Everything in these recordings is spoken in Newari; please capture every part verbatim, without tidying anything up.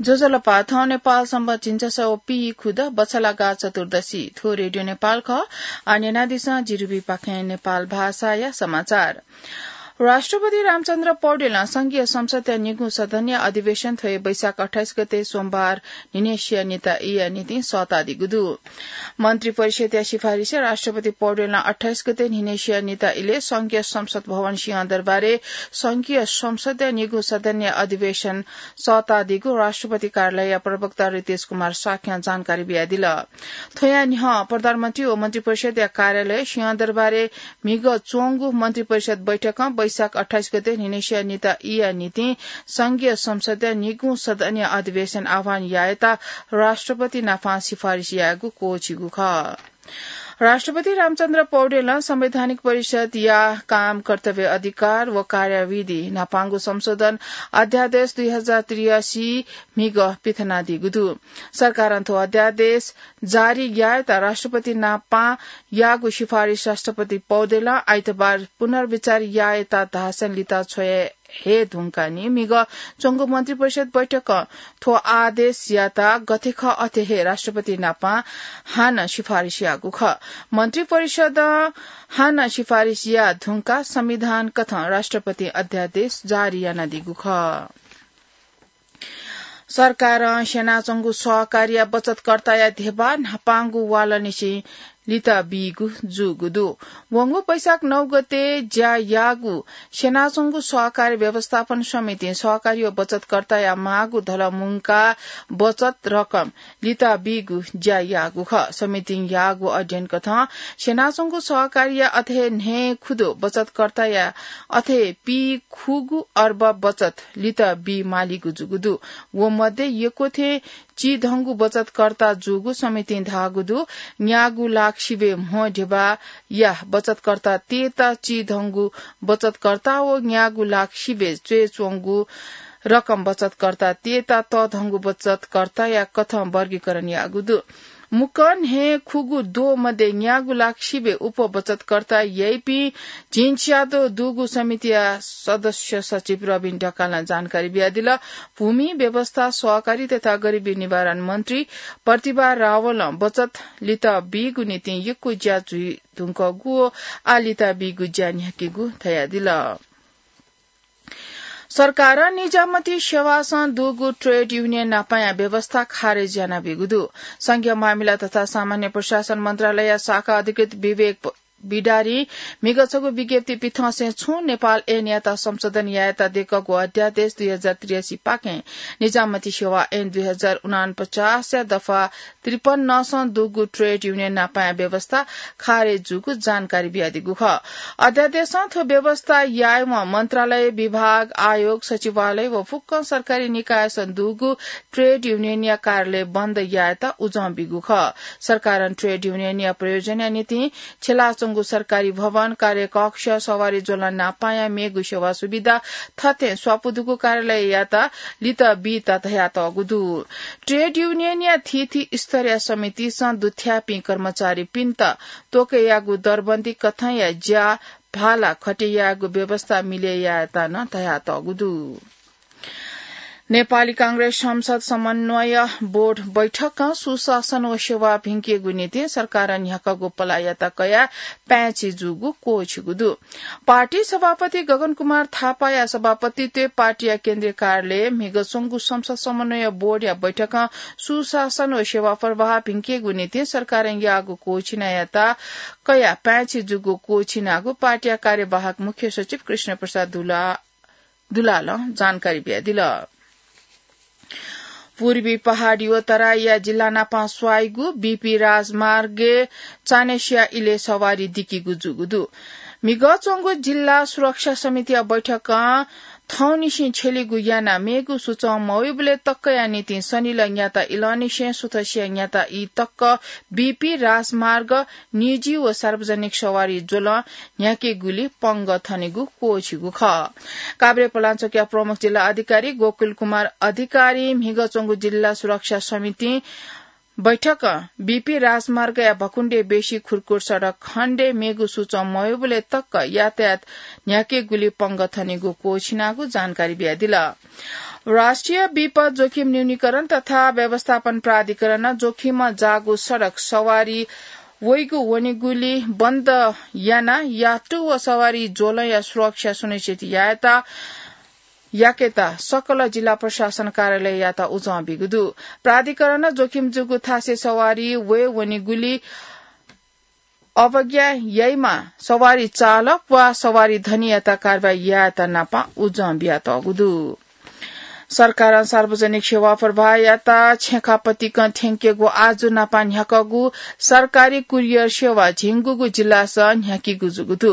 ज्वजलपा, थौं नेपाल संवत् झिंछसः व पीखुद बछलागा चतुर्दशी। थ्व रेडियो नेपाल खः। आः न्यनादिसँ जिरुबीपाखें नेपाल भाषाया समाचार। राष्ट्रपति रामचन्द्र पौडेलं संघीय संसदया निगू सदनया अधिवेशन थ्व हे वैशाख अट्ठाइस गते सोमबार न्हिनेसिया निता ईया निंतिं सःतादीगु दु। मन्त्री परिषदया सिफारिसय् राष्ट्रपति पौडेलं अट्ठाइस गते न्हिनेसिया निता इलय् संघीय संसद भवन सिंहदरबारय् संघीय संसदया निगू सदनया अधिवेशन सःतादीगु राष्ट्रपति कार्यालयया प्रवक्ता रितेश कुमार शाक्यं जानकारी बियादिल। थ्वया न्ह्यः प्रधानमन्त्री व मन्त्री परिषदया कार्यालय सिंहदरबारय् म्हिगः च्वंगु मन्त्री परिषद बैठकं वैशाख अट्ठाइस गते न्हिनेसिया निता ईया निंतिं संघीय संसदया निगू सदनया अधिवेशन आह्वान यायेत राष्ट्रपति नाप सिफारिस यायेगु क्वःछिगु खः। राष्ट्रपति रामचन्द्र पौडेलं संवैधानिक परिषदया काम, कर्तव्य, अधिकार व कार्यविधि न्हापांगु संशोधन अध्यादेश दुई हजार त्रियासी म्हिगः पिथनादीगु दु। सरकारं थ्व अध्यादेश जारी यायेत राष्ट्रपति नाप याःगु सिफारिस राष्ट्रपति पौडेलं आइतबार पुनर्विचार यायेत धासें लित छ्वये हे धुंकाः नि म्हिगः च्वंगु मन्त्री परिषद बैठकं थ्व आदेशयात गथे खः अथे हे राष्ट्रपति नाप हानं सिफारिस याःगु खः। मन्त्री परिषदं हानं सिफारिस याः धुंकाः संविधान कथं राष्ट्रपति अध्यादेश जारी यानादीगु खः। सरकारं स्यनाच्वंगु सहकारीया बचतकर्ताया ध्यबा न्हापांगु वालंनिसें लित बीगु जूगु दु। वंगु वैशाख नौ गते ज्या याःगु स्यनाच्वंगु सहकारी व्यवस्थापन समितिं सहकारी व बचतकर्ताया माःगु धलः मुंकाः बचत रकम लित बीगु ज्या याःगु खः। समितिं याःगु अध्ययन कथं स्यनाच्वंगु सहकारीया अथे न्हय् खुदो बचतकर्ताया अथे पीखुगू अर्ब बचत लित बी मालीगु जूगु दु। व मध्ये यक्व थें चिधंगु बचतकर्ता जूगु समितिं धाःगु दु। न्यागू लाख सिबें म्हो ध्यबाया बचतकर्ता तयेत चिधंगु बचतकर्ता व न्यागू लाख सिबें च्वय् च्वंगु रकम बचतकर्ता तयेत तःधंगु बचतकर्ताया कथं वर्गीकरण याःगु दु। मुक्कं हे खुगू द्वः मध्ये न्यागू लाख सिबें उप बचतकर्ता याइपिं झिंच्यादँ दुगु समितिया सदस्य सचिव रबिन ढकालं जानकारी बियादिल। भूमि व्यवस्था सहकारी तथा गरिबी निवारण मन्त्री प्रतिभा रावलं बचत लित बीगु निंतिं यक्व ज्या जुइ धुंकूगु व आः लित बीगु ज्या न्ह्याकेगु धयादिल। सरकारं निजामती सेवासं दुगु ट्रेड युनियन नापाया व्यवस्था खारेज यानाबीगु दु। संघीय मामिला तथा सामान्य प्रशासन मन्त्रालय शाखा अधिकृत विवेक प-, बिडारी म्हिगः छगू विज्ञप्ति पिथंसें छुं नेपाल ऐनयात संशोधन यायेत दय्कःगु अध्यादेश दुई हजार त्रियासी पाखें निजामती सेवा ऐन दुई हजार उनापचासया दफा त्रिपन्नसं दुगु ट्रेड युनियन नापाया व्यवस्था खारेज जूगु जानकारी बियादीगु खः। अध्यादेशं थ्व व्यवस्था यायेवं मन्त्रालय, विभाग, आयोग, सचिवालय व फुक्कं सरकारी निकायसं दुगु ट्रेड युनियनया कार्यालय बन्द यायेत उजं बीगु खः। सरकारं ट्रेड युनियनया प्रयोजनया निंतिं छ्यलाच्वंगु सरकारी भवन, कार्यकक्ष, सवारी ज्वलं नापाया मेगु सेवा सुविधा थथे स्वापू दुगु कार्यालययात लित बीत धयातःगु दु। ट्रेड युनियनया थीथी स्तरया समितिसं दुथ्याःपिं कर्मचारीपिन्त तोकेयागु दरबन्दी कथंया ज्या भाला खटे यायेगु व्यवस्था मिले यायेत नं धयातःगु दु। नेपाली कांग्रेस संसद समन्वय बोर्ड बैठकं सुशासन व सेवा भिंकेगु निंतिं सरकारं न्ह्याकागु पलाःयात कयाः पाय्छि जूगु क्वःछिगु दु। पार्टी सभापति गगन कुमार थापाया सभापतित्वय् पार्टीया केन्द्रीय कार्यालयय् म्हिगः च्वंगु संसद समन्वय बोर्डया बैठकं सुशासन व सेवा प्रवाह भिंकेगु निंतिं सरकारं याःगु क्वःछिनायात कयाः पाय्छि जूगु क्वःछिनागु पार्टीया कार्यवाहक मुख्य सचिव कृष्ण प्रसाद दुला दुलालं जानकारी बियादिल। पूर्वी पहाडी व तराईया जिल्ला नाप स्वाइगु बीपी राजमार्गय् चान्हय्सिया इलय् सवारी दिकीगु जूगु दु। म्हिगः च्वंगु जिल्ला सुरक्षा समितिया बैठकं थौंनिसें छ्यलीगु यानाः मेगु सुचं मवइबलय् तक्कया निंतिं सनिलय् न्याता इलंनिसें सुथसिया न्याता ई तक्क बीपी राजमार्ग निजी व सार्वजनिक सवारी ज्वलं न्ह्याकेगुली पंगः थनेगु क्वःछिगु खः। काभ्रे पलाञ्चोकया प्रमुख जिल्ला अधिकारी गोकुल कुमार अधिकारीं म्हिगः च्वंगु जिल्ला सुरक्षा समितिं बैठकं बीपी राजमार्गया भकुण्डे बेसी खुरकुर सडक खण्डे मेगु सूचं मवयेबलय् तक यातायात न्ह्याकेगुली पंगः थनेगु क्वःछिनागु जानकारी बियादिल। राष्ट्रिय विपद जोखिम न्यूनीकरण तथा व्यवस्थापन प्राधिकरणं जोखिमं जाःगु सडक सवारी वइगु वनेगुली बन्द याना यातु व सवारी ज्वलंया सुरक्षा सुनिश्चित यायेत याकेत सकल जिल्ला प्रशासन कार्यालययात उजं बीगु दु। प्राधिकरणं जोखिम जूगु थासय् सवारी वये वनेगुली अवज्ञा याइम्ह सवारी चालक वा सवारी धनीयात कारवाही यायेत नापं उजं बियातःगु दु। सरकारं सार्वजनिक सेवा प्रवाहयात छेँखापतिकं थ्यंकेगु आजु नापं न्ह्याकःगु सरकारी कुरियर सेवा झिंगुगु जिल्लासं न्ह्याकीगु जूगु दु।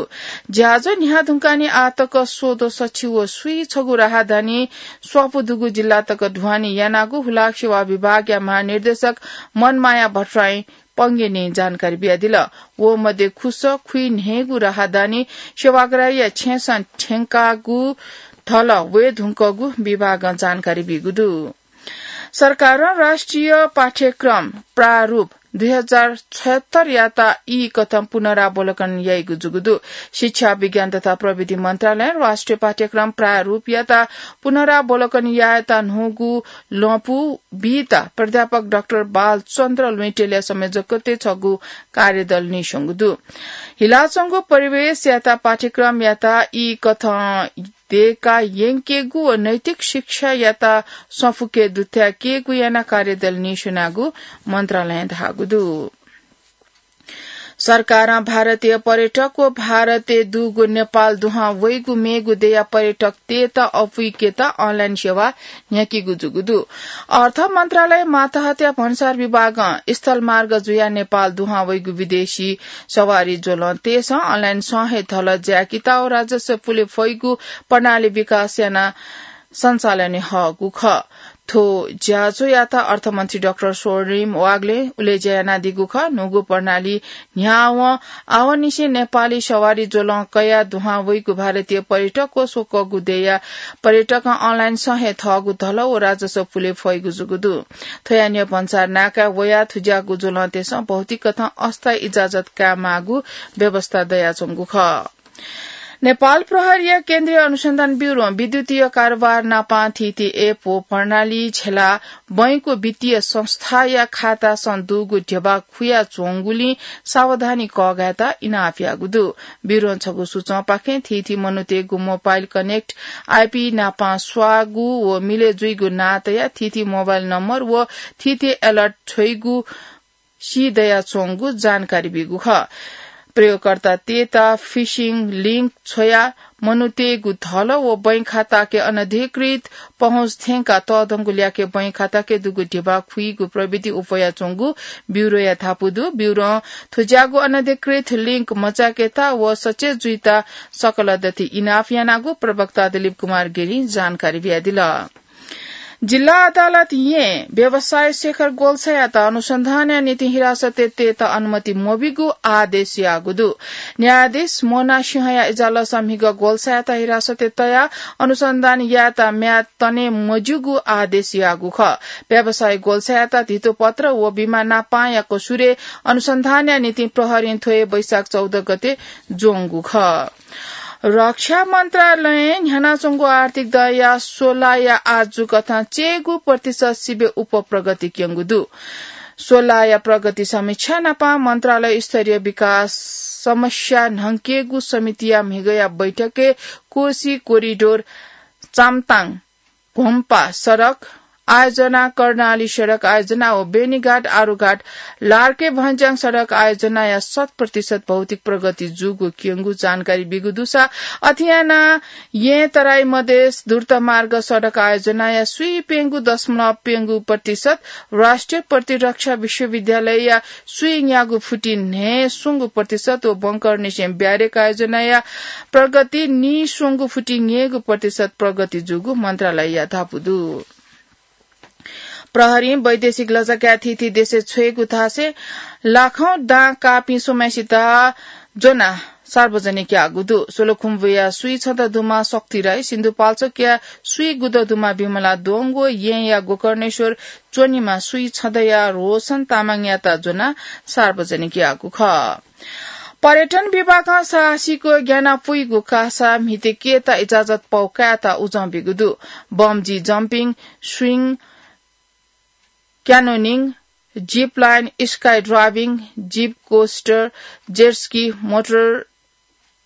ज्याझ्वः न्ह्याः धुंकाः नं आःतक सोदो सछि व स्वीछगू राहदानी स्वापू दुगु जिल्ला तक ढुवानी यानागु हुलाक सेवा विभागया महानिर्देशक मनमाया भट्टराईं पंगेनी जानकारी बियादिल। व मध्ये खुसः खुइन्हय्गू राहदानी सेवाग्राहीया छेँसं थ्यंकागु धल वये धुंकूगु विभागं जानकारी बीगु दु। सरकारं राष्ट्रिय पाठ्यक्रम प्रारूप दुई हजार छयत्तर यात ई कथं पुनरावलोकन याइगु जूगु दु। शिक्षा, विज्ञान तथा प्रविधि मन्त्रालयं राष्ट्रिय पाठ्यक्रम प्रारूपयात पुनरावलोकन यायेत न्हूगु लँपु बीत प्राध्यापक डाक्टर बालचन्द्र लुइँटेलया संयोजकत्वय् छगू कार्यदल नीस्वंगु दु। हिलाच्वंगु परिवेशयात पाठ्यक्रमयात ई कथं देका यंकेगु व नैतिक शिक्षायात संफुके दुथ्याकेगु यानाः कार्यदल नीस्वनागु मन्त्रालयं धाःगु दु। सरकारं भारतीय पर्यटक व भारतय् दुगु नेपाल दुहां वइगु मेगु देया पर्यटकतय्त अपुइकेत अनलाइन सेवा न्ह्याकीगु जूगु दु। अर्थ मन्त्रालय मातहतया भन्सार विभागं स्थलमार्ग जुयाः नेपाल दुहां वइगु विदेशी सवारी ज्वलंतय्सं अनलाइन सं हे धल ज्याकेत व राजस्व पुले फइगु प्रणाली विकास याना सञ्चालन हःगु खः। थ्व ज्याझ्वःयात अर्थमन्त्री डाक्टर स्वर्णिम वाग्लें उलेज्या यानादीगु खः। न्हूगु प्रणाली न्ह्यावं आवंनिसें नेपाली सवारी ज्वलं कयाः दुहां वइगु भारतीय पर्यटक व स्वकःगु देया पर्यटकं अनलाइन सं हे थःगु धल व राजस्व पुले फइगु जूगु दु। थ्वया न्ह्यः भन्सार नाकाय् वयाः थुज्याःगु ज्वलंतय्सं भौतिक कथं अस्थायी इजाजत कायेमाःगु व्यवस्था दयाच्वंगु खः। नेपाल प्रहरीया केन्द्रीय अनुसन्धान ब्यूरों विद्युतीय कारोबार नापं थीथी एप व प्रणाली झेला बैंकं वित्तीय संस्थाया खातासं दुगु ध्यबा खुयाच्वंगुलिं सावधानी कःघायेत इनाप याःगु दु। ब्यूरों छगू सूचंपाखें थीथी मनूतय्गु मोबाइल कनेक्ट आइपी नापं स्वाःगु व मिलय् जुइगु नां तयाः थीथी मोबाइल नम्बर व थीथी अलर्ट छ्वइगु सी दयाच्वंगु जानकारी बीगु खः। प्रयोगकर्तातय्त फिशिङ लिंक छ्वयाः मनूतय्गु धल व बैंक खाताके अनधिकृत पहुँच थ्यंकाः तःधंगु ल्याखय् बैंक खाताके दुगु ध्यबा खुइगु प्रविधि उफयाच्वंगु ब्यूरोया धापू दु। ब्यूरों थुज्याःगु अनधिकृत लिंक मचाकेत व सचेत जुइत सकल दथुइ इनाप यानागु प्रवक्ता दिलीप कुमार गिरिं जानकारी बियादिल। जिल्ला अदालत यें व्यवसायी शेखर गोल्छायात अनुसन्धानया निंतिं हिरासतय् तयेत अनुमति मबीगु आदेश याःगु दु। न्यायाधीश मोना सिंहया इजलासं म्हिगः गोल्छायात हिरासतय् तयाः अनुसन्धान यायेत म्याद तने मज्यूगु आदेश याःगु खः। व्यवसायी गोल्छायात धितोपत्र व बिमा नापांया कसुरय् अनुसन्धानया निंतिं प्रहरीं थ्व हे वैशाख चौध गते ज्वंगु खः। रक्षा मन्त्रालयं न्ह्यानाच्वंगु आर्थिक दँया स्वलाया आजु कथं चय्गू प्रतिशत सिबें उप प्रगति क्यंगु दु। स्वलाया प्रगति समीक्षा नापं मन्त्रालय स्तरीय विकास समस्या न्हंकेगु समितिया म्हिगःया बैठकय् कोशी कोरिडोर चामताङ घोम्पा सडक आयोजना, कर्णाली सडक आयोजना व बेनीघाट आरुघाट लार्के भन्ज्याङ सडक आयोजनाया शत प्रतिशत भौतिक प्रगति जूगु क्यंगु जानकारी बीगु दुसा अथे यानाः यें तराई मधेस द्रुतमार्ग सडक आयोजनाया स्वीप्यंगू दशमलव प्यंगू प्रतिशत, राष्ट्रिय प्रतिरक्षा विश्वविद्यालयया स्वीन्यागू फुति न्हय्स्वंगू प्रतिशत व बंकरनिसें ब्यारेक आयोजनाया प्रगति नीस्वंगू फुति न्यय्गू प्रतिशत प्रगति जूगु मन्त्रालयया धापू दु। प्रहरीं वैदेशिक लजगाय् थीथी देशय् छ्वय्गू थासय् लाखौं दां काःपिं स्वम्हसित ज्वनाः सार्वजनिक याःगु दु। सोलुखुम्बुया स्वीछदँ दुमा शक्ति राई, सिन्धुपाल्चोकया स्वीगुदँ दुमा विमला दोङ व येँया गोकर्णेश्वर च्वनिमा स्वीछदँया रोशन तामाङयात ज्वनाः सार्वजनिक याःगु खः। पर्यटन विभागं साहसिक ग्यानापुइगु कासा म्हितेकेत इजाजत पौ कायेत उजं ब्यूगु दु। बम्जी jumping, swing, canyoning, zip line, sky driving, zip coaster, jet ski, motor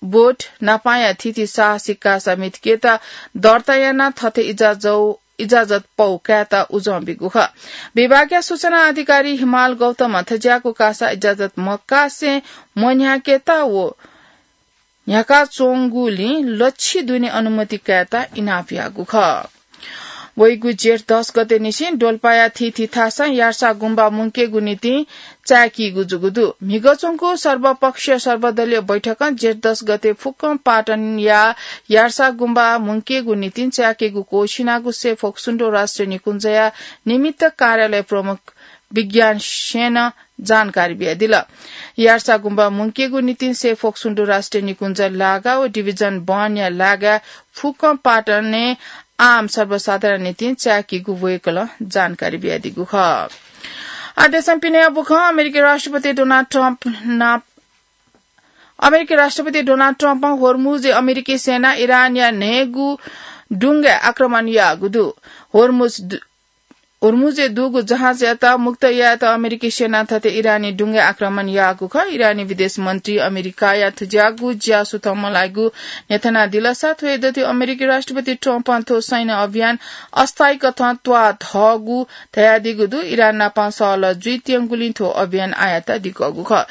boat नापाया थीथी साहसिक कासा म्हितेकेत दर्ता यानाः थथे इजाजौ-, इजाजत पौ कायेत उजं ब्यूगु खः। विभागया सूचना अधिकारी हिमाल गौतमं थज्याःगु कासा इजाजत मकासे मन्ह्याकेत व न्ह्याकाच्वंगुलिं लच्छि दुने अनुमति कायेत इनाप याःगु खः। वइगु जेठ दस गते निसें डोल्पाया थीथी थासं यार्सा गुम्बा मुंकेगु निंतिं चाय्‌कीगु जूगु दु। म्हिगः च्वंगु सर्वपक्षीय सर्वदलीय बैठकं जेठ दस गते फुक्कं पाटनया यार्सा गुम्बा मुंकेगु निंतिं चाय्‌कीगु क्वःछिनागु सेफोक सुन्डो राष्ट्रिय निकुञ्जया निमित्त कार्यालय प्रमुख विज्ञान सेनं जानकारी बियादिल। यार्सा गुम्बा मुंकेगु निंतिं सेफोक सुन्डो राष्ट्रिय निकुञ्ज लागा व डिभिजन वनया लागा फुक्कं पाटनय् आम सर्वसाधारण निंतिं चाय्‌कीगु वय्‌कलं जानकारी बियादीगु खः। आ देशं पिने बुखं अमेरिकी राष्ट्रपति डोनाल्ड ट्रम्प नाप-, अमेरिकी राष्ट्रपति डोनाल्ड ट्रम्पं होर्मुजय् अमेरिकी सेनां इरानया न्हय्‌गू डुंगाय् आक्रमण याःगु दु। होर्मुज दु-, होर्मुजय् दुगु जहाजयात मुक्त यायेत अमेरिकी सेनां थथे इरानी डुंगाय् आक्रमण याःगु खः। इरानी विदेश मन्त्री अमेरिकाया थज्याःगु ज्या सुथं मलाइगु न्ह्यथनादिलसा थ्व हे दथुइ अमेरिकी राष्ट्रपति ट्रम्पं थ्व सैन्य अभियान अस्थायी कथं त्वाः धःगु धयादीगु दु। इरान नाप सहलह जुइत्यंगुलिं थ्व अभियान आयात दिकःगु खः।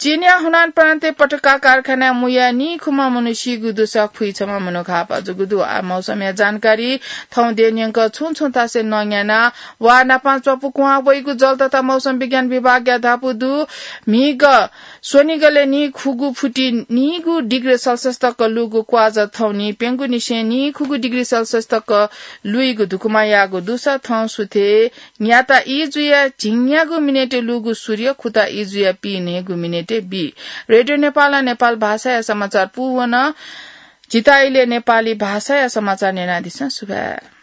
चीनया हुनान प्रान्तय् पटका कारखानाय् मुयाः नीखुम्ह मनू सीगु दुसा खुइछम्ह मनू घाःपाः जूगु दु। आ मौसमया जानकारी। थौं देय् न्यंक छुं छुं थासय् नं न्याना वा नाप च्वपुकुहां वइगु जल तथा मौसम विज्ञान विभागया धापू दु। म्हिगः स्वनिगलय् नीखुगु फुति नीगू डिग्री सेल्सियस तक लूगु क्वाःजा थौं नीप्यंगू निसें नीखुगू डिग्री सेल्सियस तक लुइगु धुकुमा याःगु दुसा थौं सुथय् न्याता ई जुया झिंन्यागू मिनेटय् लूगु सूर्य खुता ई जुया पीन्हय्‌गू मिनेटय् बी। रेडियो नेपालं नेपाल भाषाया समाचार पूवन। जिता इलय् नेपाली भाषाया समाचार न्यनादिसँ। सुभाय्।